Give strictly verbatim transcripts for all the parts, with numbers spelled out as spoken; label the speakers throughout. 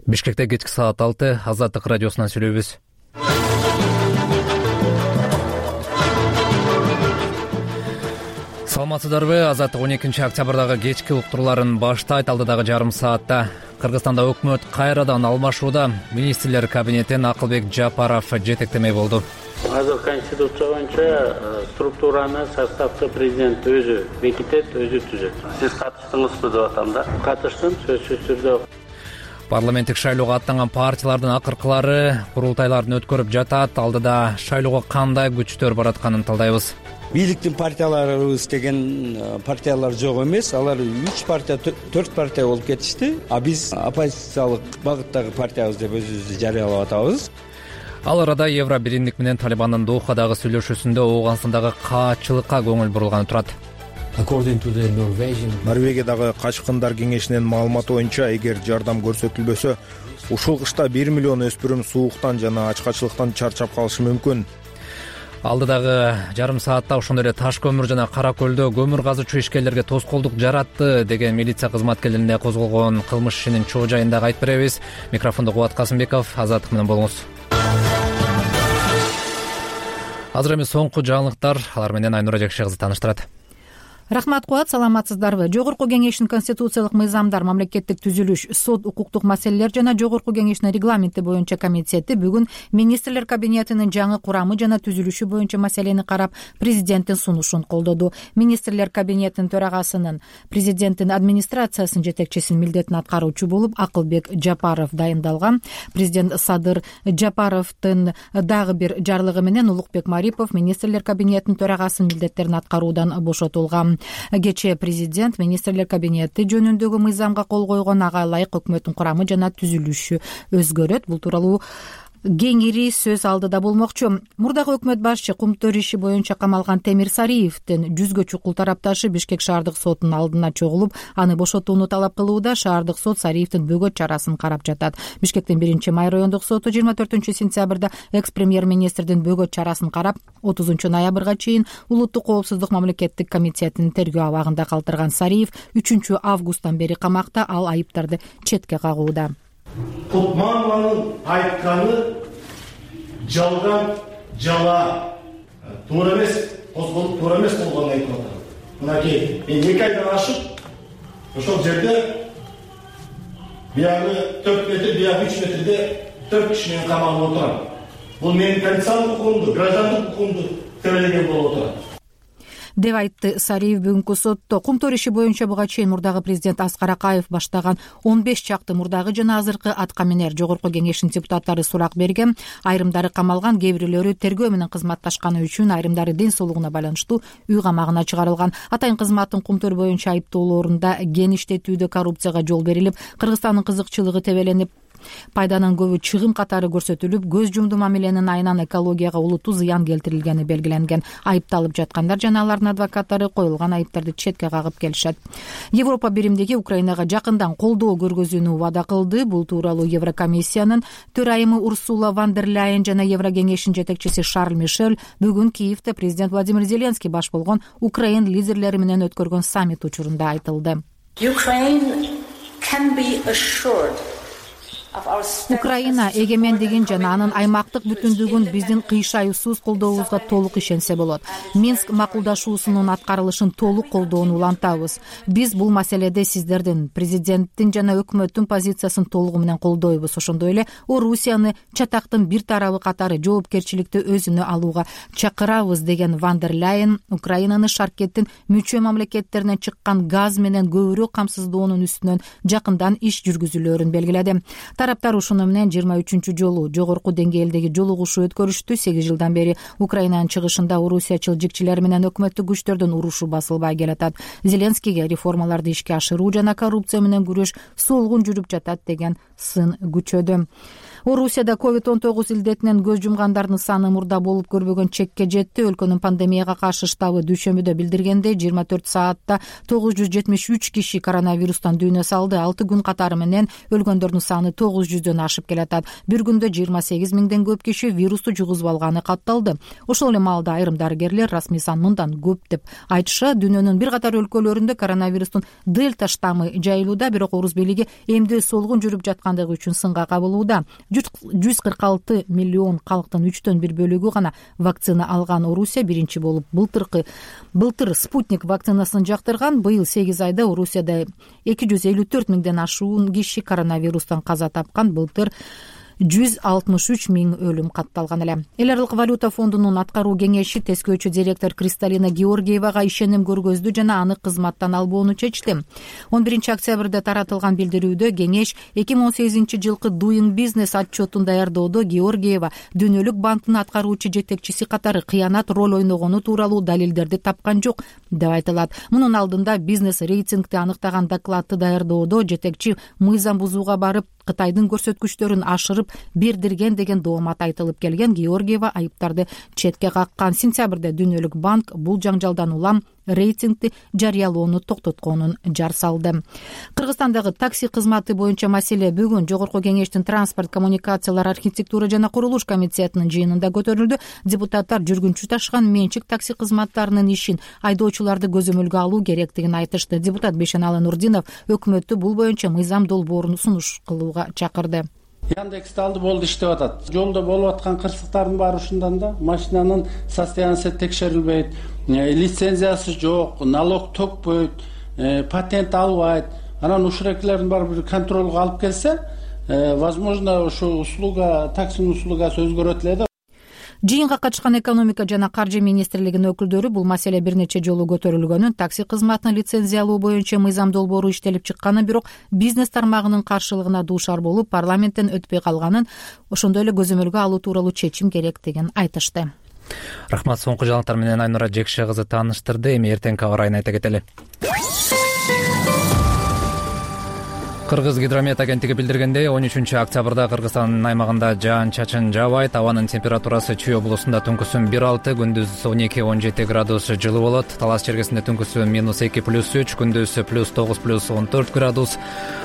Speaker 1: Бишкекте кечки саат алты, Азаттык радиосунан сүйлөйбүз. Саламатсыздарбы? Азаттык он экинчи октябрдагы кечки уктурууларын баштайт. Алдыдагы жарым саатта Кыргызстанда өкмөт кайрадан алмашууда. Министрлер кабинетин Акылбек Жапаров жетектемей болду.
Speaker 2: Азыр Конституция боюнча структураны, составты президент өзү бекитет, өзү түзөт. Сиз катыштыңызбы деп атам да? Катыштым, сөзсүз түрдө.
Speaker 1: Парламенттик шайлоого аттанган партиялардын акыркылары курултайларын өткөрүп жатат. Алдыда шайлоого кандай күчтөр баратканын талдайбыз.
Speaker 3: Бийликтин партияларыбыз деген партиялар жок эмес. Алар үч партия, төрт партия болуп кетишти. А биз оппозициялык багыттагы партиябыз деп өзүбүздү жарыялап атабыз.
Speaker 1: Ал арада Евро биримдик менен Талибандын Дохадагы сүйлөшүүсүндө Ооганстандагы каачылыкка көңүл бурулганы турат.
Speaker 4: Норвегиядагы качкындар кеңешинин маалыматы боюнча, эгер жардам көрсөтүлбөсө, ушул кышта бир миллион өспүрүм сууктан жана ачкачылыктан чарчап калышы мүмкүн.
Speaker 1: Алдыдагы жарым саатта ошондой эле Таш көмүр жана Кара көлдө көмүр казуучу ишкерлерге тоскоолдук жаратты деген милиция кызматкерлерине козголгон кылмыш ишинин чоо жайын дагы айтып беребиз. Микрофондо Кубат Касымбеков, Азаттык менен болуңуз. Азыр эми соңку жаңылыктар, алар менен Айнура Жекше кызы тааныштырат.
Speaker 5: Рахмат, Кубат, саламатсыздарбы? Жогорку кеңештин конституциялык мыйзамдар, мамлекеттик түзүлүш, сот, укуктук маселелер жана Жогорку кеңештин регламенти боюнча комитети бүгүн министрлер кабинетинин жаңы курамы жана түзүлүшү боюнча маселени карап, президенттин сунушун колдоду. Министрлер кабинетинин төрагасынын президенттин администрациясынын жетекчисинин милдетин аткаруучу болуп Акылбек Жапаров дайындалган. Президент Садыр Жапаровдун дагы бир жарлыгы менен Улукбек Марипов министрлер кабинетинин төрагасынын милдеттерин аткаруудан бошотулган. Кечээ президент министрлер кабинети жөнүндөгү мыйзамга кол койгон, ага ылайык өкмөттүн курамы жана түзүлүшү өзгөрөт. Бул тууралуу кеңири сөз алдыда болмокчу. Мурдагы өкмөт башчы Кумтөр иши боюнча камалган Темир Сариевдин жүзгө чукул тарапташы Бишкек шаардык сотунун алдына чогулуп, аны бошотууну талап кылууда. Шаардык сот Сариевдин бөгөт чарасын карап жатат. Бишкектин биринчи май райондук соту жыйырма төртүнчү сентябрда экс-премьер-министрдин бөгөт чарасын карап, отузунчу ноябрга чейин Улуттук коопсуздук мамлекеттик комитетинин тергөө абагында калтырган Сариев үчүнчү августтан бери камакта. Ал айыптарды четке кагууда.
Speaker 6: Кутманованын айтканы жалган, жала, туура эмес, козголуп туура эмес болгонун айтып атат. Мынакей, эки айдан ашып, ошол жерде биягы төрт метр, биягы үч метрде төрт киши менен камалып отурам. Бул менин конституциялык укугумду, граждандык укугумду тебелеген болуп отурат,
Speaker 5: деп айтты Сариев бүгүнкү сотто. Кумтөр иши боюнча буга чейин мурдагы президент Аскар Акаев баштаган он беш чакты мурдагы жана азыркы аткаминер Жогорку кеңештин депутаттары сурак берген. Айрымдары камалган, кээ бирөөлөрү тергөө менен кызматташканы үчүн, айрымдары ден соолугуна байланыштуу үй камагына чыгарылган. Атайын кызматтын Кумтөр боюнча айыптоолорунда кен иштетүүдө коррупцияга жол берилип, Кыргызстандын кызыкчылыгы тебеленип, пайданын көбү чыгым катары көрсөтүлүп, көз жумду мамиленин айынан экологияга улуттуу зыян келтирилгени белгиленген. Айыпталып жаткандар жана алардын адвокаттары коюлган айыптарды четке кагып келишет. Европа биримдиги Украинага жакындан колдоо көргөзүүнү убада кылды. Бул тууралуу Еврокомиссиянын төрайымы Урсула фон дер Ляйен жана Еврокеңештин жетекчиси Шарль Мишель бүгүн Киевде президент Владимир Зеленский баш болгон Украин лидерлери менен өткөргөн саммит учурунда айтылды. Украина эгемендигин жана анын аймактык бүтүндүгүн биздин кыйшайуусуз колдообузга толук ишенсе болот. Минск макулдашуусунун аткарылышын толук колдоону улантабыз. Биз бул маселеде сиздердин, президенттин жана өкмөттүн позициясын толугу менен колдойбуз. Ошондой эле Орусияны чатактын бир тарабы катары жоопкерчиликти өзүнө алууга чакырабыз деген фон дер Ляйен Украинаны шаркеттин мүчө мамлекеттеринен чыккан газ менен көбүрөөк камсыздоонун үстүнөн жакындан иш жүргүзүлөөрүн белгиледи. Тараптар ушуну менен жыйырма үчүнчү жолу жогорку деңгээлдеги жолугушуу өткөрүштү. сегиз жылдан бери Украинанын чыгышында орусиячыл жикчилер менен өкмөттүк күчтөрдүн урушу басылбай келатат. Зеленскийге реформаларды ишке ашыруу жана коррупция менен күрөш солгун жүрүп жатат деген сын күчөдү. Орусияда ковид он тогуз илдетинен көз жумгандардын саны мурда болуп көрбөгөн чекке жетти. Өлкөнүн пандемияга каршы штабы дүйшөмбүдө билдиргендей, жыйырма төрт саатта тогуз жүз жетимиш үч киши коронавирустан дүйнө салды. алты күн катары менен өлгөндөрдүн саны тогуз тогуз жүздөн ашып келатат. Бир күндө жыйырма сегиз миңден көп киши вирусту жугузуп алганы катталды. Ошол эле маалда айрым дарыгерлер расмий сан мындан көп деп айтышат. Дүйнөнүн бир катар өлкөлөрүндө коронавирустун дельта штаммы жайылууда, бирок орус бийлиги эмдөө солгун жүрүп жаткандыгы үчүн сынга кабылууда. жүз кырк алты миллион калктын үчтөн бир бөлүгү гана вакцина алган Орусия биринчи болуп былтыркы былтыр спутник вакцинасын жактырган. Быйыл сегиз айда Орусияда эки жүз элүү төрт миңден ашуун киши коронавирустан каза тапкан. Былтыр жүз алтымыш үч миң өлүм катталган эле. Эл аралык валюта фондунун аткаруу кеңеши тескөөчү директор Кристалина Георгиевага ишеним көргөздү жана аны кызматтан албоону чечти. он биринчи октябрда таратылган билдирүүдө кеңеш эки миң он сегизинчи жылкы Doing Business отчетун даярдоодо Георгиева Дүйнөлүк банктын аткаруучу жетекчиси катары кыянат роль ойногону тууралуу далилдерди тапкан жок деп айтылат. Мунун алдында бизнес рейтингти аныктаган докладты даярдоодо жетекчи мыйзам бузууга барып Кытайдын көрсөткүчтөрүн ашырып бердирген деген доомат айтылып келген. Георгиева айыптарды четке каккан. Сентябрда Дүйнөлүк банк бул жаңжалдан улам рейтингти жарыялоону токтотконун жар салды. Кыргызстандагы такси кызматы боюнча маселе бүгүн Жогорку кеңештин транспорт, коммуникациялар, архитектура жана курулуш комитетинин жыйынында көтөрүлдү. Депутаттар жүргүнчү ташыган менчик такси кызматтарынын ишин айдоочуларды көзөмөлгө алуу керектигин айтышты. Депутат Бейшеналы Нурдинов өкмөттү бул боюнча мыйзам долбоорун сунуш кылууга чакырды.
Speaker 2: Яндексти алды болду иштеп атат. Жолдо болуп аткан кырсыктардын баары ушундан да машинанын состояниясы текшерилбейт, лицензиясы жок, налог төкпөйт, патент албайт. Анан ушурекилердин баары бир контролго алып келсе, возможно, ушу услуга, таксинин услугасы өзгөрөт эле да.
Speaker 5: Жыйынга катышкан экономика жана каржы министрлигинин өкүлдөрү бул маселе бир нече жолу көтөрүлгөнүн, такси кызматын лицензиялоо боюнча мыйзам долбоору иштелип чыкканын, бирок бизнес тармагынын каршылыгына дуушар болуп парламенттен өтпөй калганын, ошондой эле көзөмөлгө алуу тууралуу чечим керектигин айтышты.
Speaker 1: Рахмат. Соңку жаңылыктар менен Айнура Жекше кызы тааныштырды. Эми эртеңки аба ырайын айта кетели. Кыргыз гидромет агенттиги билдиргендей, он үчүнчү октябрда Кыргызстандын аймагында жаан-чачын жаабайт. Абанын температурасы Чүй облусунда түнкүсүн бир алты, күндүз он эки он жети градус жылы болот. Талас чергесинде түнкүсү минус эки плюс үч, күндүз плюс тогуз плюс он төрт градус.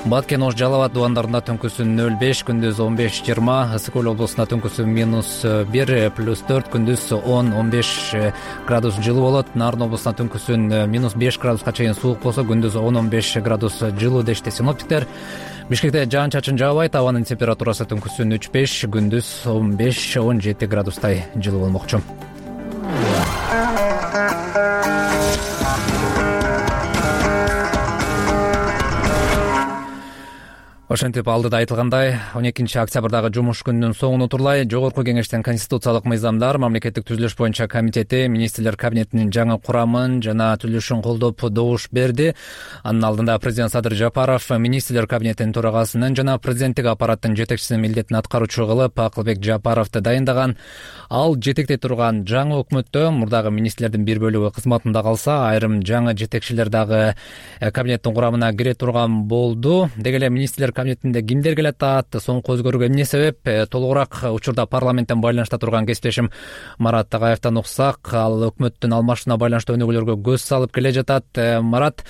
Speaker 1: Баткен, Ош, Жалал абад дубандарында түнкүсү нөл беш, күндүз он беш жыйырма. Ысык көл облусунда түнкүсү минус бир плюс төрт, күндүз он он беш градус жылы болот. Нарын облусунда түнкүсүн минус беш градуска чейин суук болсо, күндүз он он беш градус жылы дешти синоптиктер. Бишкекте жаан-чачын жаабайт. Абанын температурасы түнкүсүн үч беш, күндүз он беш он жети градустай жылы болмокчу. Ошентип алдыда айтылгандай, он экинчи октябрдагы жумуш күнүнүн соңуна турлай Жогорку кеңештин конституциялык мыйзамдар, мамлекеттик түзүлүш боюнча комитети министрлер кабинетинин жаңы курамын жана түзүлүшүн колдоп добуш берди. Анын алдында президент Садыр Жапаров министрлер кабинетинин төрагасынын жана президенттик аппараттын жетекчисинин милдетин аткаруучу кылып Акылбек Жапаровду дайындаган. Ал жетектей турган жаңы өкмөттө мурдагы министрлердин бир бөлүгү кызматында калса, айрым жаңы жетекчилер дагы кабинеттин курамына кире турган болду. Деги эле министрлер кабинетинде кимдер келе атат, соңку өзгөрүүгө эмне себеп? Толугураак учурда парламенттен байланышта турган кесиптешим Марат Тагаевден уксак. Ал өкмөттүн алмашууна байланыштуу өнүгүүлөргө көз салып келе жатат. Марат,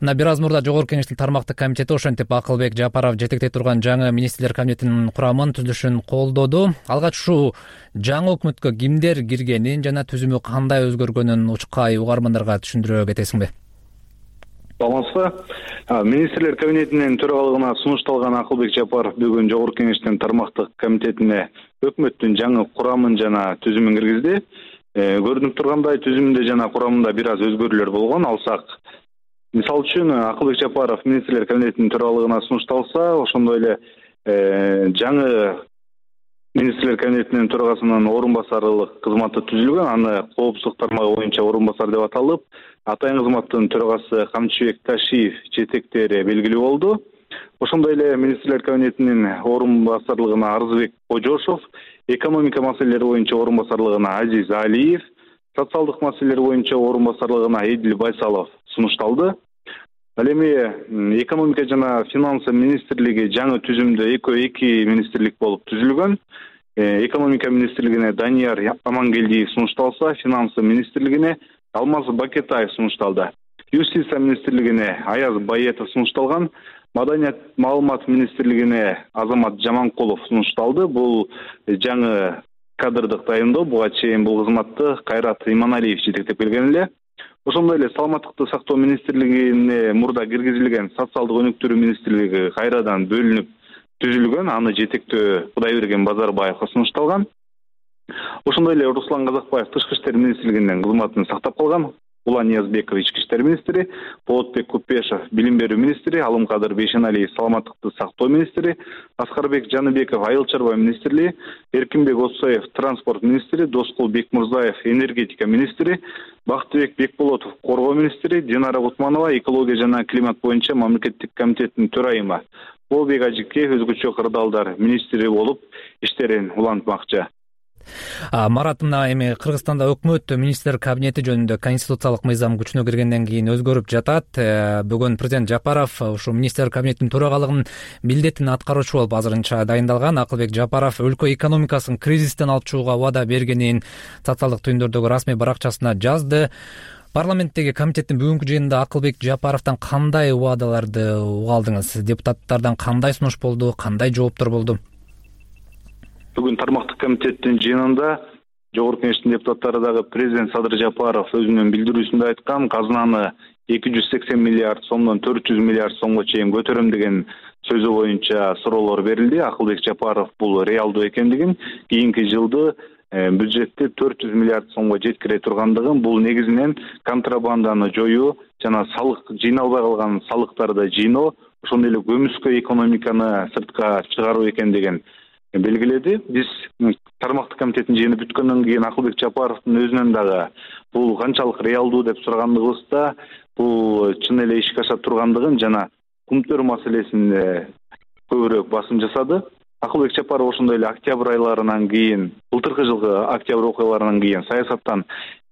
Speaker 1: мына бир аз мурда Жогорку кеңештин тармактык комитети ошентип Акылбек Жапаров жетектей турган жаңы министрлер кабинетинин курамын түзүлүшүн колдоду. Алгач ушул жаңы өкмөткө кимдер киргенин жана түзүмү кандай өзгөргөнүн учкай угармандарга түшүндүрө кетесиңби?
Speaker 7: Саламатсызбы? Министрлер кабинетинин төрагалыгына сунушталган Акылбек Жапаров бүгүн Жогорку кеңештин тармактык комитетине өкмөттүн жаңы курамын жана түзүмүн киргизди. Көрүнүп тургандай, түзүмүндө жана курамында бир аз өзгөрүүлөр болгон. Алсак, мисалы үчүн Акылбек Жапаров министрлер кабинетинин төрагалыгына сунушталса, ошондой эле жаңы министрлер кабинетинин төрагасынын орун басарлык кызматы түзүлгөн. Аны коопсуздук тармагы боюнча орун басар деп аталып, атайын кызматтын төрагасы Камчыбек Ташиев жетектери белгилүү болду. Ошондой эле министрлер кабинетинин орун басарлыгына Арзыбек Кожошов, экономика маселелери боюнча орун басарлыгына Азиз Алиев, социалдык маселелер боюнча орун басарлыгына Эдил Байсалов сунушталды. Ал эми экономика жана финансы министрлиги жаңы түзүмдө экөө эки министрлик болуп түзүлгөн. Экономика министрлигине Данияр Амангелдиев сунушталса, финансы министрлигине Алмаз Бакетаев сунушталды. Юстиция министрлигине Аяз Баетов сунушталган. Маданият маалымат министрлигине Азамат Жаманкулов сунушталды. Бул жаңы кадрдык дайындоо. Буга чейин бул кызматты Кайрат Иманалиев жетектеп келген эле. Ошондой эле саламаттыкты сактоо министрлигине мурда киргизилген социалдык өнүктүрүү министрлиги кайрадан бөлүнүп түзүлгөн. Аны жетектөө Кудайберген Базарбаевга сунушталган. Ошондой эле Руслан Казакбаев тышкы иштер министрлигинин кызматын сактап калган. Улан Ниязбеков ички иштер министри, Болотбек Купешев билим берүү министри, Алымкадыр Бейшеналиев саламаттыкты сактоо министри, Аскарбек Жаныбеков айыл чарба министрлиги, Эркинбек Осоев транспорт министри, Доскул Бекмурзаев энергетика министри, Бактыбек Бекболотов коргоо министри, Динара Утманова экология жана климат боюнча мамлекеттик комитеттин төрайымы, Болбек Ажике өзгөчө кырдаалдар министри болуп иштерин улантмакчы.
Speaker 1: Марат, мына эми Кыргызстанда өкмөт министрлер кабинети жөнүндө конституциялык мыйзам күчүнө киргенден кийин өзгөрүп жатат. Бүгүн президент Жапаров ушул министрлер кабинетинин төрагалыгынын милдетин аткаруучу болуп азырынча дайындалган. Акылбек Жапаров өлкө экономикасын кризистен алып чыгууга убада бергенин социалдык түйүндөрдөгү расмий баракчасына жазды. Парламенттеги комитеттин бүгүнкү жыйынында Акылбек Жапаровдон кандай убадаларды уга алдыңыз? Депутаттардан кандай сунуш болду, кандай жооптор болду?
Speaker 7: Бүгүн тармактык комитеттин жыйынында Жогорку Кеңештин депутаттары дагы президент Садыр Жапаров өзүнүн билдирүүсүндө айткан, казынаны эки жүз сексен миллиард сомдон төрт жүз миллиард сомго чейин көтөрөм деген сөзү боюнча суроолор берилди. Акылбек Жапаров бул реалдуу экендигин, кийинки жылды бюджетти төрт жүз миллиард сомго жеткире тургандыгын, бул негизинен контрабанданы жоюу жана салык жыйналбай калган салыктарды жыйноо, ошондой эле көмүскө экономиканы сыртка чыгаруу экендигин белгиледи. Биз тармактык комитеттин жыйыны бүткөндөн кийин Акылбек Жапаровдун өзүнөн дагы бул канчалык реалдуу деп сурагандыгыбызда, бул чын эле ишке аша тургандыгын жана кумтөр маселесине көбүрөөк басым жасады. Акылбек Жапаров ошондой эле октябрь айларынан кийин, былтыркы жылкы октябрь окуяларынан кийин саясаттан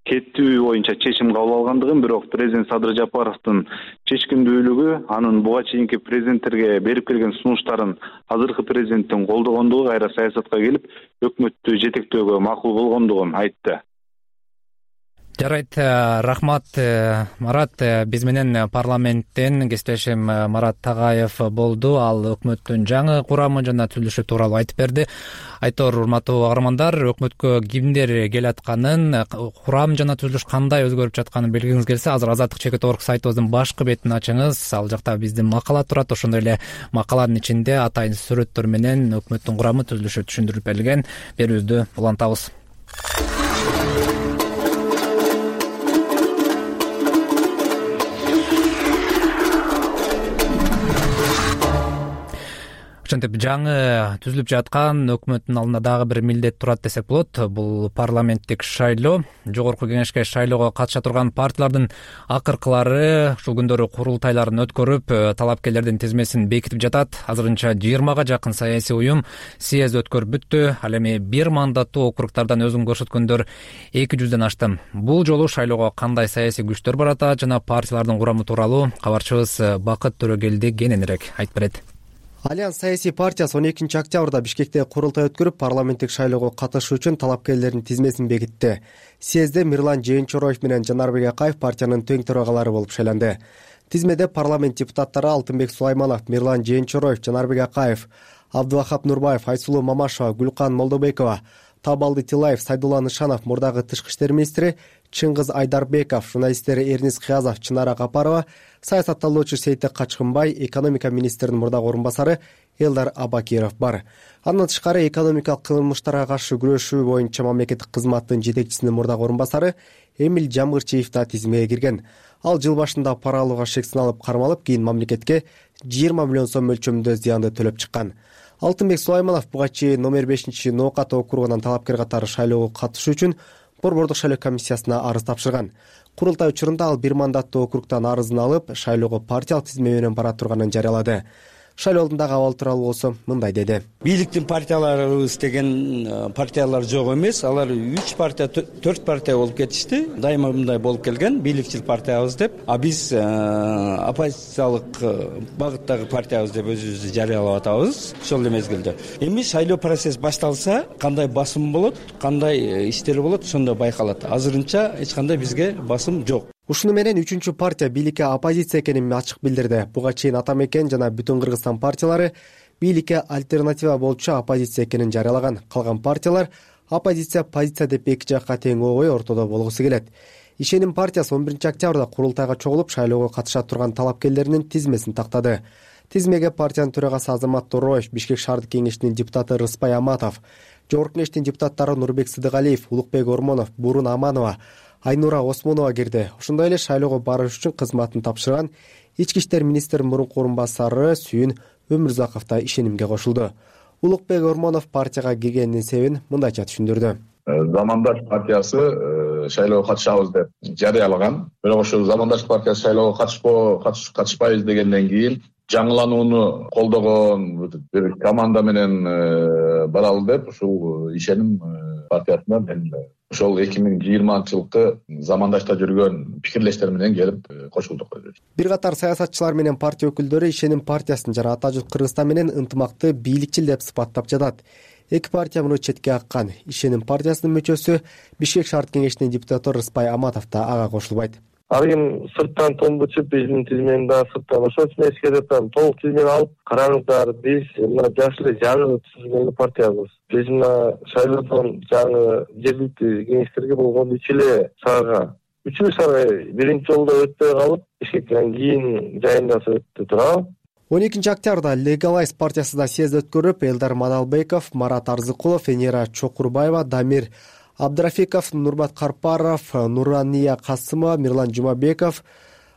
Speaker 7: кеттүү боюнча чечим кабыл алгандыгын, бирок президент Садыр Жапаровдун чечкиндүүлүгү, анын буга чейинки президенттерге берип келген сунуштарын азыркы президенттин колдогондугу кайра саясатка келип, өкмөттү жетектөөгө макул болгондугун айтты.
Speaker 1: Жарайт, рахмат Марат. Биз менен парламенттен кесиптешим Марат Тагаев болду. Ал өкмөттүн жаңы курамы жана түзүлүшү тууралуу айтып берди. Айтор, урматтуу каармандар, өкмөткө кимдер келатканын, курам жана түзүлүш кандай өзгөрүп жатканын билгиңиз келсе, азыр Азаттык чекит орг сайтыбыздын башкы бетин ачыңыз. Ал жакта биздин макала турат. Ошондой эле макаланын ичинде атайын сүрөттөр менен өкмөттүн курамы, түзүлүшү түшүндүрүлүп берилген. Берүүбүздү улантабыз. Ошентип жаңы түзүлүп жаткан өкмөттүн алдында дагы бир милдет турат десек болот. Бул парламенттик шайлоо. Жогорку кеңешке шайлоого катыша турган партиялардын акыркылары ушул күндөрү курултайларын өткөрүп, талапкерлердин тизмесин бекитип жатат. Азырынча жыйырмага жакын саясий уюм съезд өткөрүп бүттү. Ал эми бир мандаттуу округдардан өзүн көрсөткөндөр эки жүздөн ашты. Бул жолу шайлоого кандай саясий күчтөр баратат жана партиялардын курамы тууралуу кабарчыбыз Бакыт Төрөгелди кененирээк айтып берет.
Speaker 8: Альянс саясий партиясы он экинчи октябрда Бишкекте курултай өткөрүп, парламенттик шайлоого катышуу үчүн талапкерлердин тизмесин бекитти. Съезде Мирлан Жээнчороев менен Жанарбек Акаев партиянын тең төрагалары болуп шайланды. Тизмеде парламент депутаттары Алтынбек Сулайманов, Мирлан Жээнчороев, Жанарбек Акаев, Абдывахап Нурбаев, Айсулуу Мамашева, Гүлкан Молдобекова, Табалды Тилаев, Сайдулла Нышанов, мурдагы тышкы иштер министри Чыңгыз Айдарбеков, журналисттери Эрнис Кыязов, Чынара Капарова, саясатталуучу Сейтек Качкынбай, экономика министринин мурдагы орун басары Элдар Абакиров бар. Андан тышкары экономикалык кылмыштарга каршы күрөшүү боюнча мамлекеттик кызматтын жетекчисинин мурдагы орун басары Эмил Жамгырчиев да тизмеге кирген. Ал жыл башында пара алууга шек саналып кармалып, кийин мамлекетке жыйырма миллион сом мөлчөрүндө зыянды төлөп чыккан. Алтынбек Сулайманов буга чейин номер бешинчи Ноокат округунан талапкер катары шайлоого катышуу үчүн Борбордук шайлоо комиссиясына арыз тапшырган. Курултай учурунда ал бир мандаттуу округтан арызын алып, шайлоого партиялык тизме менен бара турганын жарыялады. Шайлоо алдындагы абал тууралуу болсо мындай деди.
Speaker 3: Бийликтин партияларыбыз деген партиялар жок эмес. Алар үч партия, төрт партия болуп кетишти. Дайыма мындай болуп келген, бийликчил партиябыз деп. А биз оппозициялык багыттагы партиябыз деп өзүбүздү жарыялап атабыз ошол эле мезгилде. Эми шайлоо процесс башталса, кандай басым болот, кандай иштер болот, ошондо байкалат. Азырынча эч кандай бизге басым жок.
Speaker 8: Ушуну менен үчүнчү партия бийликке оппозиция экенин ачык билдирди. Буга чейин Ата Мекен жана Бүтүн Кыргызстан партиялары бийликке альтернатива болчу оппозиция экенин жарыялаган. Калган партиялар оппозиция позиция деп эки жакка тең обой ортодо болгусу келет. Ишеним партиясы он биринчи октябрда курултайга чогулуп шайлоого катыша турган талапкерлеринин тизмесин тактады. Тизмеге партиянын төрагасы Азамат Тороев, Бишкек шаардык кеңешинин депутаты Рыспай Аматов, Жогорку кеңештин депутаттары Нурбек Сыдыгалиев, Улукбек Ормонов, Бурун Аманова, Айнура Осмонова кирди. Ошондой эле шайлоого барыш үчүн кызматын тапшырган ички иштер министринин мурунку орун басары Сүйүн Өмүрзаков да ишенимге кошулду. Улукбек Ормонов партияга киргенинин себебин мындайча түшүндүрдү.
Speaker 9: Замандаш партиясы шайлоого катышабыз деп жарыялаган. Бирок ошол Замандаш партиясы шайлоого катышпоо катышпайбыз дегенден кийин жаңыланууну колдогон бир команда менен баралы деп ушул ишеним партиясына мен ошол эки миң жыйырманчы жылкы Замандашта жүргөн пикирлештер менен келип кошулдук.
Speaker 8: Бир катар саясатчылар менен партия өкүлдөрү ишеним партиясын жана Ата журт Кыргызстан менен ынтымакты бийликчил деп сыпаттап жатат. Эки партия муну четке каккан. Ишеним партиясынын мүчөсү Бишкек шаардык кеңешинин депутаты Рыспай Аматов да ага кошулбайт.
Speaker 10: Ар ким сырттан томбучуп биздин тизмени да сырттан ошол үчүн эскертип атам. Толук тизмени алып караңыздар. Биз мына жаш эле жаңы түзүлгөн партиябыз. Биз мына шайлоодон жаңы жергиликтүү кеңештерге болгон үч эле шаарга үч эле шаарга биринчи жолдо өтпөй калып, Бишкектен кийин жайындаса өттү турабы.
Speaker 8: он экинчи октябрда Легалайз партиясы да съезд өткөрүп, Элдар Мадалбеков, Марат Арзыкулов, Энера Чокурбаева, Дамир Абдрафиков, Нурмат Карпаров, Нурания Касымова, Мирлан Жумабеков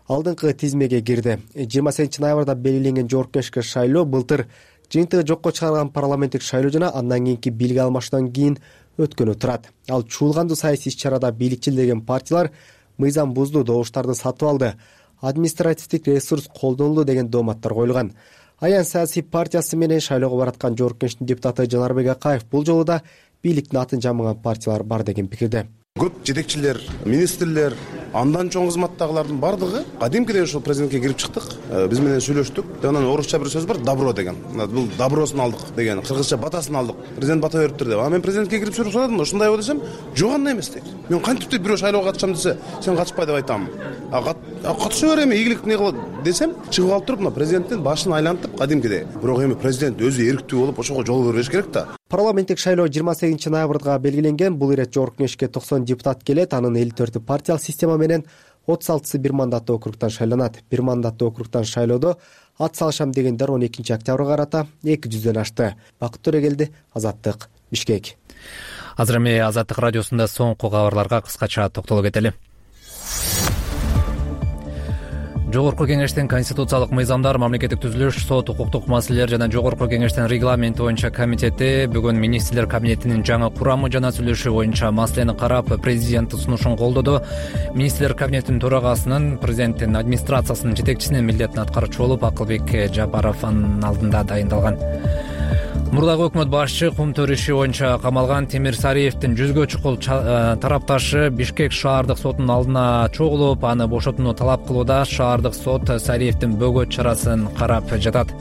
Speaker 8: алдыңкы тизмеге кирди. жыйырма сегизинчи ноябрда белгиленген жогорку кеңешке шайлоо былтыр жыйынтыгы жокко чыгарылган парламенттик шайлоо жана андан кийинки бийлик алмашуудан кийин өткөнү турат. Ал чуулгандуу саясий иш-чарада бийликчил деген партиялар мыйзам бузду, добуштарды сатып алды, административдик ресурс колдонулду деген дооматтар коюлган. Аян саясий партиясы менен шайлоого бараткан жогорку кеңештин депутаты Жанарбек Акаев бул жолу да бийликтин атын жамаган партиялар бар деген пикирде.
Speaker 11: Көп жетекчилер, министрлер, андан чоң кызматтагылардын бардыгы кадимкидей ошол президентке кирип чыктык. Биз менен сүйлөштүк. Анан орусча бир сөз бар, добро деген. Бул добросун алдык деген, кыргызча батасын алдык. Президент бата бериптир деп. А мен президентке кирип сүйлөшөдүм, ошондой боло десем, жок андай эмес дейт. Мен кантип деп бирөө шайлоого катышам десе, сен катышпай деп айтам. А катыша бер эми, ийгилик эмне кылат десем, чыгып алып туруп, мына президенттин башын айлантып кадимкидей. Бирок эми президент өзү эрктүү болуп, ошого жол бербеш керек да.
Speaker 8: Парламенттик шайлоо жыйырма сегизинчи ноябрга белгиленген. Бул ирет жогорку кеңешке токсон депутат келет. Анын элүү төртү партиялык система менен отуз алтысы бир мандаттуу округтан шайланат. Бир мандаттуу округтан шайлоодо ат салышам дегендер он экинчи октябрга карата эки жүздөн ашты. Бакыт Төрегелди, Азаттык, Бишкек.
Speaker 1: Азыр эми Азаттык радиосунда соңку кабарларга кыскача токтоло кетели. Жогорку кеңештин конституциялык мыйзамдар, мамлекеттик түзүлүш, сот, укуктук маселелер жана Жогорку кеңештин регламенти боюнча комитети бүгүн министрлер кабинетинин жаңы курамы жана сүйлөшүү боюнча маселени карап, президенттин сунушун колдоду. Министрлер кабинетинин төрагасынын, президенттин администрациясынын жетекчисинин милдетин аткаруучу болуп Акылбек Жапаров анын алдында дайындалган. Мурдагы өкмөт башчы кумтөр иши боюнча камалган Темир Сариевдин жүзгө чукул тарапташы Бишкек шаардык сотунун алдына чогулуп, аны бошотууну талап кылууда. Шаардык сот Сариевдин бөгөт чарасын карап жатат.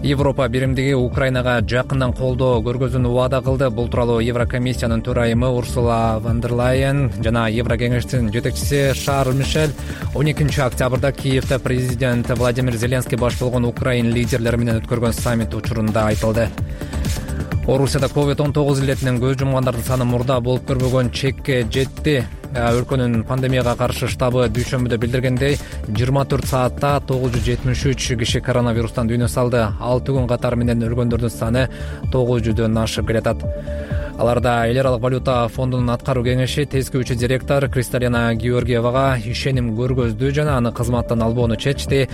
Speaker 1: Европа биримдиги Украинага жакындан колдоо көргөзүүнү убада кылды. Бул тууралуу Еврокомиссиянын төрайымы Урсула фон дер Лайен жана Еврокеңештин жетекчиси Шарль Мишель он экинчи октябрда Киевде президент Владимир Зеленский баш болгон Украин лидерлери менен өткөргөн саммит учурунда айтылды. Орусияда ковид он тогуз илетинен көз жумгандардын саны мурда болуп көрбөгөн чекке жетти. Өлкөнүн пандемияга каршы штабы дүйшөмбүдө билдиргендей, жыйырма төрт саатта тогуз жүз жетимиш үч киши коронавирустан дүйнө салды. алты күн катары менен өлгөндөрдүн саны тогуз жүздөн ашып келатат. Аларда эл аралык валюта фондунун аткаруу кеңеши тескүүчү директор Кристалина Георгиевага ишеним көргөздү жана аны кызматтан албоону чечти.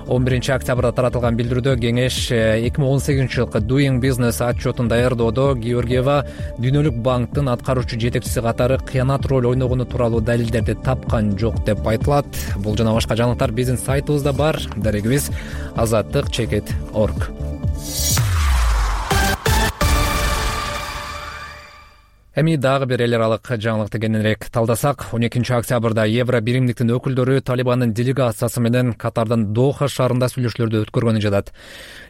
Speaker 1: он биринчи октябрда таратылган билдирүүдө кеңеш эки миң он сегизинчи жылкы Doing Business отчетун даярдоодо Георгиева дүйнөлүк банктын аткаруучу жетекчиси катары кыянат роль ойногону тууралуу далилдерди тапкан жок деп айтылат. Бул жана башка жаңылыктар биздин сайтыбызда бар. Дарегибиз азаттык чекит точка орг. Эми дагы бир эл аралык жаңылыкты кененирээк талдасак, он экинчи октябрда Евро биримдиктин өкүлдөрү Талибандын делегациясы менен Катардын Доха шаарында сүйлөшүүлөрдү өткөргөнү жатат.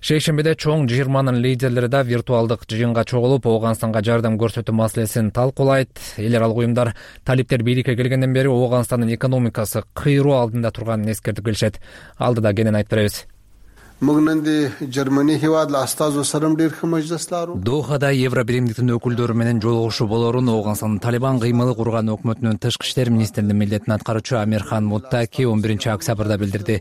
Speaker 1: Шейшембиде чоң жыйырманын лидерлери да виртуалдык жыйынга чогулуп, Ооганстанга жардам көрсөтүү маселесин талкуулайт. Эл аралык уюмдар талиптер бийликке келгенден бери Ооганстандын экономикасы кыйроо алдында турганын эскертип келишет. Алдыда кенен айтып беребиз. Дохада Евро биримдиктин өкүлдөрү менен жолугушуу болорун Ооганстандын Талибан кыймылы курган өкмөтүнүн тышкы иштер министринин милдетин аткаруучу Амирхан Муттаки он биринчи октябрда билдирди.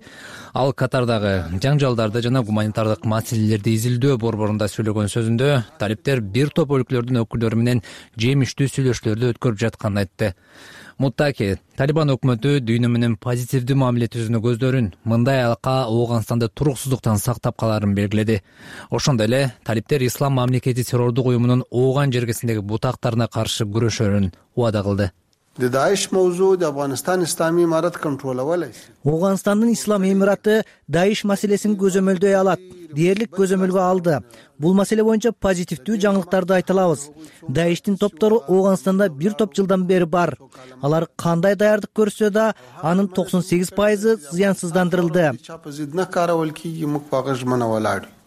Speaker 1: Ал Катардагы жаңжалдарды жана гуманитардык маселелерди изилдөө борборунда сүйлөгөн сөзүндө талиптер бир топ өлкөлөрдүн өкүлдөрү менен жемиштүү сүйлөшүүлөрдү өткөрүп жатканын айтты. Муттаки Талибан өкмөтү дүйнө менен позитивдүү мамиле түзүүнү көздөрүн, мындай алака Ооганстанды туруксуздуктан сактап каларын белгиледи. Ошондой эле талиптер Ислам мамлекети террордук уюмунун Ооган жергесиндеги бутактарына каршы күрөшөрүн убада кылды.
Speaker 12: Ооганстандын Ислам Эмираты Даиш маселесин көзөмөлдөй алат. Дээрлик көзөмөлгө алды. Бул маселе боюнча позитивдүү жаңылыктарды айта алабыз. Даиштин топтору Ооганстанда бир топ жылдан бери бар. Алар кандай даярдык көрсө да, анын токсон сегиз пайызы зыянсыздандырылды.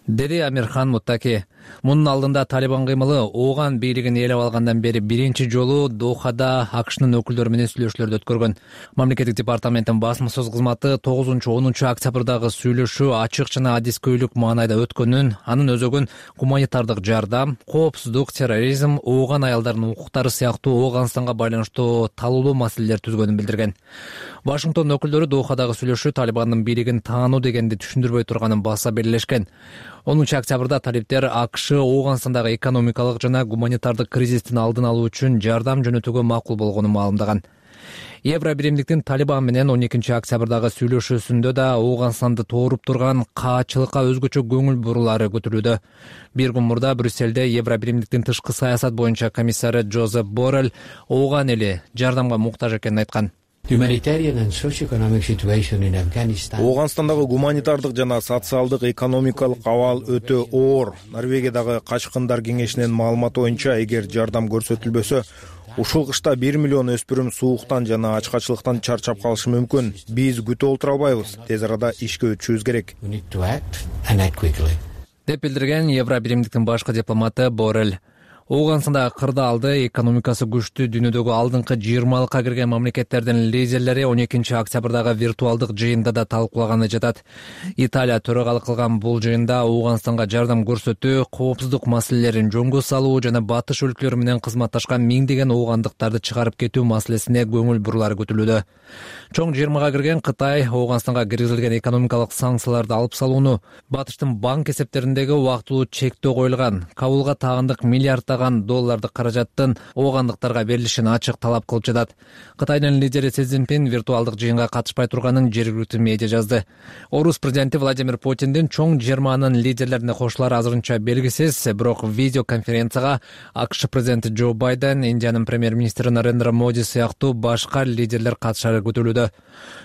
Speaker 12: Деди Амирхан Муттаки. Мунун алдында Талибан кыймылы Ооган бийлигин ээлеп алгандан бери биринчи жолу Дохада АКШнын өкүлдөрү менен сүйлөшүүлөрдү өткөргөн. Мамлекеттик департаменттин басма сөз кызматы тогузунчу онунчу октябрдагы сүйлөшүү ачык жана адискөйлүк маанайда өткөнүн, анын өзөгүн гуманитардык жардам, коопсуздук, терроризм, Ооган аялдарынын укуктары сыяктуу Ооганстанга байланыштуу талуулуу маселелер түзгөнүн билдирген. Вашингтон өкүлдөрү Дохадагы сүйлөшүү Талибандын бийлигин таануу дегенди түшүндүрбөй турганын баса белгилешкен. онунчу октябрда талиптер АКШ Ооганстандагы экономикалык жана гуманитардык кризистин алдын алуу үчүн жардам жөнөтүүгө макул болгонун маалымдаган. Евро биримдиктин Талибан менен он экинчи октябрдагы сүйлөшүүсүндө да Ооганстанды тооруп турган каачылыкка өзгөчө көңүл бурулары көтөрүлүүдө. Бир күн мурда Брюссельде Евро биримдиктин тышкы саясат боюнча комиссары Жозеп Боррелл Ооган эли жардамга муктаж экенин айткан.
Speaker 4: Ооганстандагы гуманитардык жана социалдык экономикалык абал өтө оор. Норвегиядагы Качкындар кеңешинин маалыматы боюнча, эгер жардам көрсөтүлбөсө, ушул кышта бир миллион өспүрүм сууктан жана ачкачылыктан чарчап калышы мүмкүн. Биз күтүп отура албайбыз. Тез арада ишке өтүшүбүз керек.
Speaker 1: Деп билдирген Евро биримдиктин башкы дипломаты Боррелл. Ооганстандагы кырдаалды экономикасы күчтүү дүйнөдөгү алдыңкы жыйырмалыкка кирген мамлекеттердин лидерлери он экинчи октябрдагы виртуалдык жыйында да талкуулаганы жатат. Италия төрагалык кылган бул жыйында Ооганстанга жардам көрсөтүү, коопсуздук маселелерин жөнгө салуу жана батыш өлкөлөрү менен кызматташкан миңдеген оогандыктарды чыгарып кетүү маселесине көңүл бурулары көтөрүлүүдө. Чоң жыйырмага кирген Кытай Ооганстанга киргизилген экономикалык санкцияларды алып салууну, батыштын банк эсептериндеги убактылуу чектөө коюлган, Кабулга тагандык миллиарддаган доллардык каражаттын оогандыктарга берилишин ачык талап кылып жатат. Кытайдын лидери Си Цзиньпин виртуалдык жыйынга катышпай турганын жергиликтүү медиа жазды. Орус президенти Владимир Путиндин чоң жыйырманын лидерлерине кошулары азырынча белгисиз, бирок видеоконференцияга АКШ президенти Джо Байден, Индиянын премьер-министри Нарендра Моди сыяктуу башка лидерлер катышары көтөрүлүүдө.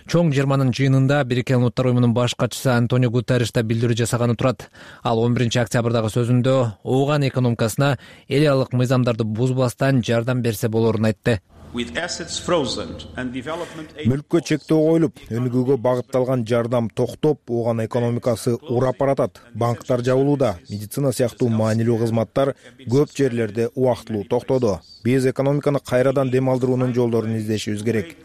Speaker 1: Чоң жыйырманын жыйынында Бириккен Улуттар уюмунун баш катчысы Антонио Гутерриш да билдирүү жасаганы турат. Ал он биринчи октябрдагы сөзүндө Ооган экономикасына эл аралык мыйзамдарды бузбастан жардам берсе болорун айтты.
Speaker 4: Мүлккө чектөө коюлуп, өнүгүүгө багытталган жардам токтоп, Ооган экономикасы урап баратат. Банктар жабылууда, медицина сыяктуу маанилүү кызматтар көп жерлерде убактылуу токтоду. Биз экономиканы кайрадан дем алдыруунун жолдорун издешибиз керек.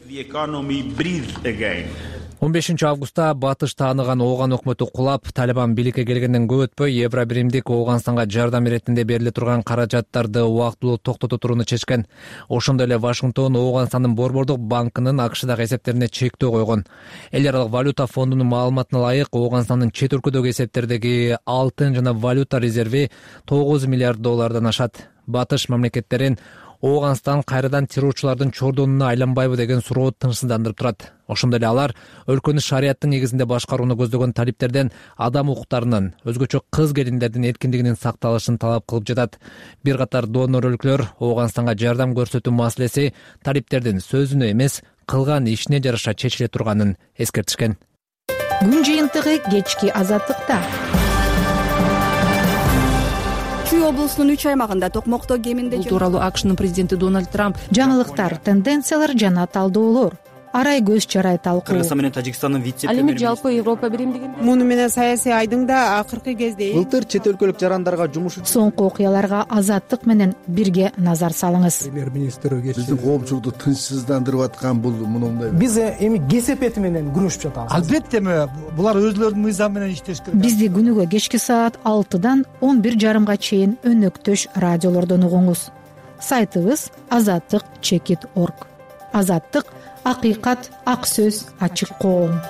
Speaker 1: он бешинчи августта батыш тааныган Ооган өкмөтү кулап, Талибан бийликке келгенден көп өтпөй Евро биримдик Ооганстанга жардам иретинде бериле турган каражаттарды убактылуу токтото турууну чечкен. Ошондой эле Вашингтон Ооганстандын борбордук банкынын АКШдагы эсептерине чектөө койгон. Эл аралык валюта фондунун маалыматына ылайык, Ооганстандын чет өлкөдөгү эсептердеги алтын жана валюта резерви тогуз миллиард доллардан ашат. Батыш мамлекеттерин Ооганстан кайрадан террорчулардын чордонуна айланбайбы деген суроо тынчсыздандырып турат. Ошондой эле алар өлкөнү шарияттын негизинде башкарууну көздөгөн талиптерден адам укуктарынын, өзгөчө кыз келиндердин эркиндигинин сакталышын талап кылып жатат. Бир катар донор өлкөлөр Ооганстанга жардам көрсөтүү маселеси талиптердин сөзүнө эмес, кылган ишине жараша чечиле турганын эскертишкен.
Speaker 5: Күн жыйынтыгы кечки азаттыкта.
Speaker 13: чүй облусунун үч аймагында токмокто кеминде
Speaker 14: бул тууралуу акшнын президенти Дональд Трамп
Speaker 5: жаңылыктар, тенденциялар жана талдоолор, арай көз чарай талкуу.
Speaker 15: Кыргызстан менен Тажикстандын вице-премьери.
Speaker 14: Ал эми жалпы Европа биримдигинде
Speaker 16: муну менен саясий айдың да акыркы кезде
Speaker 8: былтыр чет өлкөлүк жарандарга жумуш
Speaker 5: соңку окуяларга Азаттык менен бирге назар салыңыз.
Speaker 17: Премьер-министр биздин коомчулукту тынчсыздандырып аткан бул мындай.
Speaker 18: Биз эми кесепети менен күрөшүп жатабыз.
Speaker 19: Албетте булар өзлөрүнүн мыйзамы менен иштеш керек.
Speaker 5: Бизди күнүгө кечки саат алтыдан он бир жарымга чейин өнөктөш радиолордон угуңуз. Сайтыбыз азаттык чекит точка орг. Азаттык — акыйкат, ак сөз, ачык коом.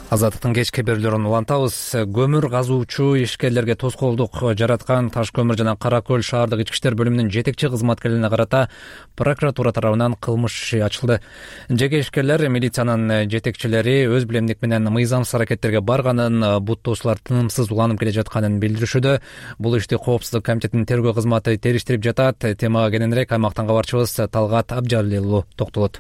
Speaker 1: Азаттыктын кечки берүүлөрүн улантабыз. Көмүр казуучу ишкерлерге тоскоолдук жараткан Таш көмүр жана Кара Көл шаардык ички иштер бөлүмүнүн жетекчи кызматкерлерине карата прокуратура тарабынан кылмыш иши ачылды. Жеке ишкерлер милициянын жетекчилери өз билемдик менен мыйзамсыз аракеттерге барганын, буттоочулар тынымсыз уланып келе жатканын билдиришүүдө. Бул ишти Коопсуздук комитетинин тергөө кызматы териштирип жатат. Темага кененирээк аймактан кабарчыбыз Талгат Абжалилов токтолот.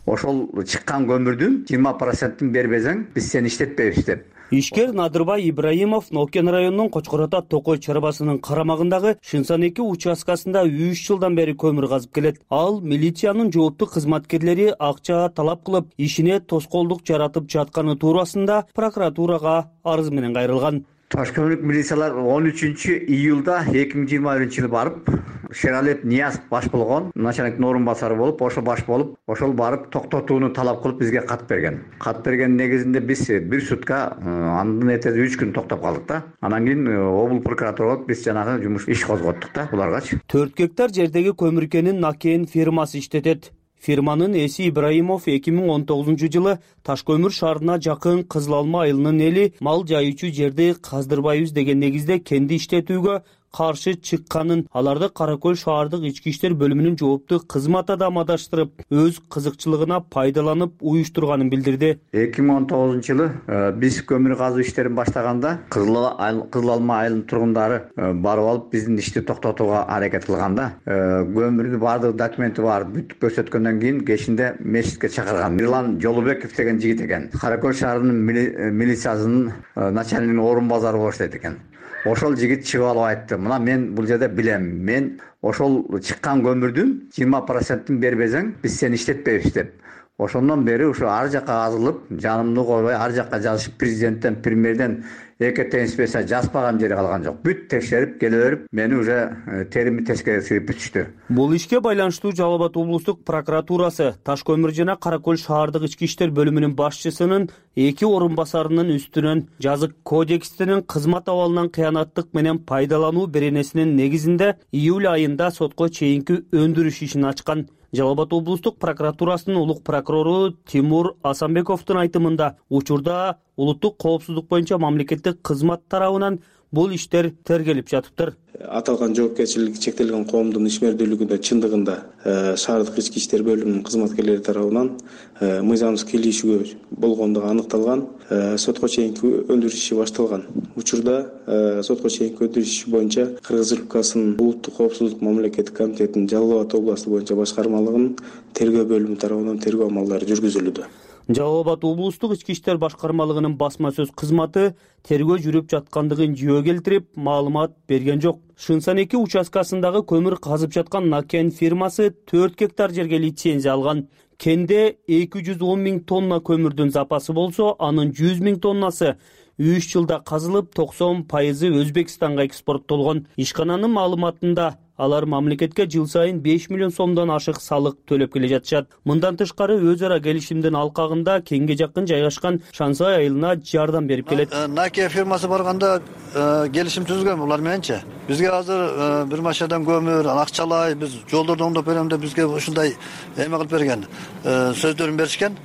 Speaker 20: Ошол чыккан көмүрдүн жыйырма процентин бербесең, биз сени иштетпейбиз деп.
Speaker 21: Ишкер Надырбай Ибраимов Нокен районунун Кочкор ата Токой чарбасынын карамагындагы Шынсан эки участкасында үч жылдан бери көмүр казып келет. Ал милициянын жооптуу кызматкерлери акча талап кылып, ишине тоскоолдук жаратып жатканы туурасында прокуратурага арыз менен кайрылган.
Speaker 20: Таш көмүрлүк милициялар он үчүнчү июлда эки миң жыйырма биринчи жылы барып, Шералиев Нияз баш болгон, начальниктин орун басары болуп, ошо баш болуп, ошол барып токтотууну талап кылып бизге кат берген. Кат берген негизинде биз бир сутка, андан эртеси үч күн токтоп калдык да. Анан кийин облус прокуратурага биз жанагы жумуш иш козготтук да буларгачы.
Speaker 21: төрт гектар жердеги көмүркенин Накен фирмасы иштетет. Фирманын эси Ибраимов эки миң он тогузунчу жылы Таш көмүр шаарына жакын Кызыл Алма айылынын эли мал жайуучу жерди каздырбайбыз деген негизде кенди иштетүүгө каршы чыкканын, аларды Кара Көл шаардык ички иштер бөлүмүнүн жооптуу кызмат адамы адаштырып, өз кызыкчылыгына пайдаланып уюштурганын билдирди.
Speaker 20: эки миң он тогузунчу жылы биз көмүр казуу иштерин баштаганда Кызыл Алма айылынын тургундары барып алып биздин ишти токтотууга аракет кылганда, көмүрдү баардык документи бар бүт көрсөткөндөн кийин кечинде мечитке чакырган. Мирлан Жолубеков деген жигит экен. Кара Көл шаарынын милициясынын начальнигинин орун базары болуп иштейт экен. Ошол жигит чыгып алып айтты: "Мына мен бул жерде билем. Мен ошол чыккан көмүрдүн жыйырма процентин бербесең, биз сени иштетпейбиз" деп. Ошондон бери ушу ар жакка азылып, жанымды койбой ар жакка жазышып, президенттен, премьерден эки инспекция жазбаган жери калган жок. Бүт текшерип келе берип, мени уже терими тескере сыйып бүтүштү.
Speaker 21: Бул ишке байланыштуу Жалал Абад облустук прокуратурасы Таш көмүр жана Кара Көл шаардык ички иштер бөлүмүнүн башчысынын эки орун басарынын үстүнөн жазык кодекстинин кызмат абалынан кыянаттык менен пайдалануу беренесинин негизинде июль айында сотко чейинки өндүрүш ишин ачкан. Жалал Абад облустук прокуратурасынын улук прокурору Тимур Асанбековдун айтымында, учурда улуттук коопсуздук боюнча мамлекеттик кызмат тарабынан бул иштер тергелип жатыптыр.
Speaker 22: Аталган жоопкерчилиги чектелген коомдун ишмердүүлүгүндө чындыгында шаардык ички иштер бөлүмүнүн кызматкерлери тарабынан мыйзамсыз кийлигишүү болгондугу аныкталган. Сотко чейинки өндүрүш иши башталган. Учурда сотко чейинки өндүрүш иши боюнча Кыргыз Республикасынын улуттук коопсуздук мамлекеттик комитетинин Жалал Абад областы боюнча башкармалыгынын тергөө бөлүмү тарабынан тергөө амалдары жүргүзүлүүдө.
Speaker 21: Жалал Абад облустук ички иштер башкармалыгынын басма сөз кызматы тергөө жүрүп жаткандыгын жөө келтирип, маалымат берген жок. Шынсан эки участкасындагы көмүр казып жаткан Накен фирмасы төрт гектар жерге лицензия алган. Кенде эки жүз он миң тонна көмүрдүн запасы болсо, анын жүз миң тоннасы үч жылда казылып, токсон пайызы Өзбекстанга экспорттолгон. Ишкананын маалыматында алар мамлекетке жыл сайын беш миллион сомдон ашык салык төлөп келе жатышат. Мындан тышкары өз ара келишимдин алкагында кеңге жакын жайгашкан Шансай айылына жардам берип келет.
Speaker 23: Наке фирмасы барганда келишим түзгөн булар мененчи. Бизге азыр бир машинадан көмүр, акчалай, биз жолдорду оңдоп берем деп бизге ушундай эме кылып берген. Сөздөрүн беришкен.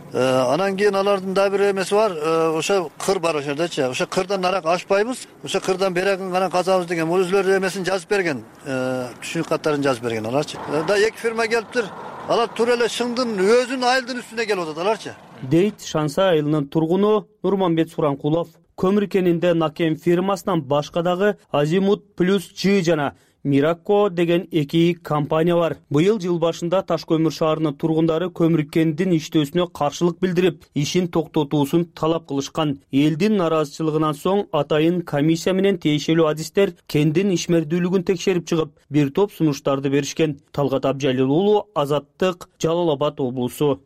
Speaker 23: Анан кийин алардын да бир эмеси бар, ошо кыр бар ошол жердечи. Ошо кырдан нарак ашпайбыз, ошо кырдан берегин гана казабыз деген. Бул өзлөрү эмесин жазып берген, түшүнүк каттарын жазып берген аларчы. Да эки фирма келиптир. Алар туура эле шыңдын өзүнүн айылдын үстүнө келип атат аларчы.
Speaker 21: Дейт Шансай айылынын тургуну Нурманбет Суранкулов. Көмүр кенинде Накен фирмасынан башка дагы Азимут плюс Ж жана Miraco деген эки компания бар. Быйыл жыл башында Таш көмүр шаарынын тургундары көмүр кендин иштөөсүнө каршылык билдирип, ишин токтотуусун талап кылышкан. Элдин наразычылыгынан соң атайын комиссия менен тиешелүү адистер кендин ишмердүүлүгүн текшерип чыгып, бир топ сунуштарды беришкен. Талгат Абжалил уулу, Азаттык, Жалал Абад облусу.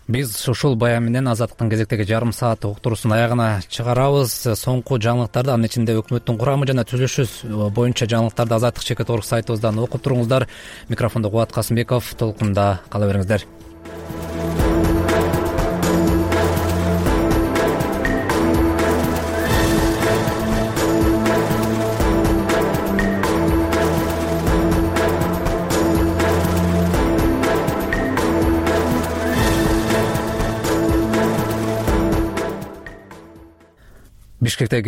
Speaker 1: Биз ушул баян менен Азаттыктын кезектеги жарым саат уктуруусун аягына чыгарабыз. Соңку жаңылыктарды, анын ичинде өкмөттүн курамы жана түзүлүшү боюнча жаңылыктарды Азаттык чекит орг сайтыбыздан окуп туруңуздар. Микрофондо Кубат Касымбеков, толкунда кала бериңиздер. Бишкектеги